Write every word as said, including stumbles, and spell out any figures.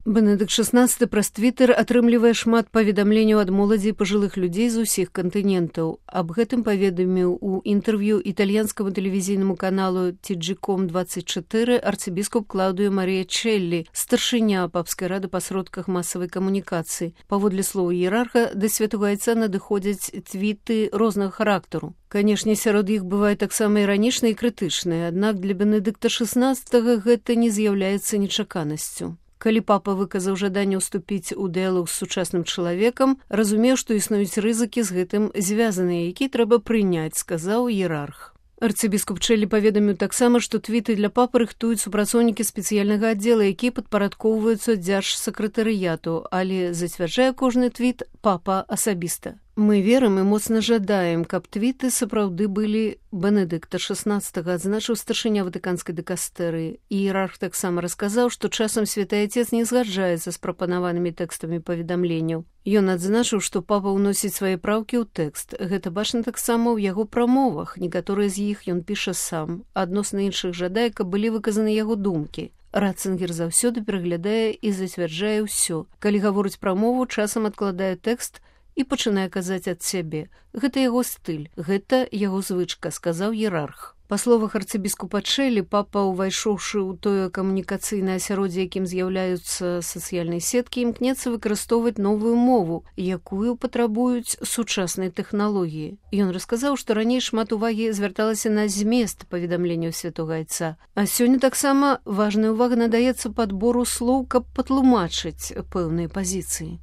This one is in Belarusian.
Бенедыкт шестнадцаты праз твиттер атрымлівае шмат паведамленняў ад моладзі і пажылых людзей з усіх кантынентаў. Аб гэтым паведаміў у інтэрв'ю італьянскаму тэлевізійнаму каналу ти джи ком двадцать чатыры арцыбіскуп Клаўдыё Марыя Челлі, старшыня папскай рады па сродках масавай камунікацыі. Паводле слоў іерарха, да святога айца надыходзяць твіты рознага характару. Канешне, сярод іх бывае таксама іранічныя і крытычныя, аднак для Бенедыкта шестнадцатага гэта не з'яўляецца нечаканасцю. Калі папа выказаў жаданне ўступіць у дыялог з сучасным чалавекам, разумеў, што існуюць рызыкі з гэтым звязаныя, які трэба прыняць, сказаў іерарх. Арцыбіскуп Челлі паведаміў таксама, што твіты для папы рыхтуюць супрацоўнікі спецыяльнага аддзела, якія падпарадкоўваюцца дзяржсакратарыяту, але зацвярджае кожны твіт папа асабіста. Мы верым і моцна жадаем, каб твіты сапраўды былі Бенедыкта шестнадцатага, адзначыў старшыня ватыканскай дыкастэрыі. Іерарх таксама расказаў, што часам святы айцец не згаджаецца з прапанаванымі тэкстамі паведамленняў. Ён адзначыў, што папа ўносіць свае праўкі ў тэкст. Гэта бачна таксама ў яго прамовах. Некаторыя з іх ён піша сам. Адносна іншых жадае, каб былі выказаны яго думкі. Ратцынгер заўсёды пераглядае і зацвярджае ўсё. Калі гаворыць пра мову, часам адкладае тэкст і пачынае казаць ад сябе. Гэта яго стыль, гэта яго звычка, сказаў іерарх. Па словах арцыбіскупа Челлі, папа, увайшоўшы ў тое камунікацыйнае асяроддзе, якім з'яўляюцца сацыяльныя сеткі, імкнецца выкарыстоўваць новую мову, якую патрабуюць сучасныя тэхналогіі. Ён расказаў, што раней шмат увагі звярталася на змест паведамленняў святога айца, а сёння таксама важная ўвага надаецца падбору слоў, каб патлумачыць пэўныя пазіцыі.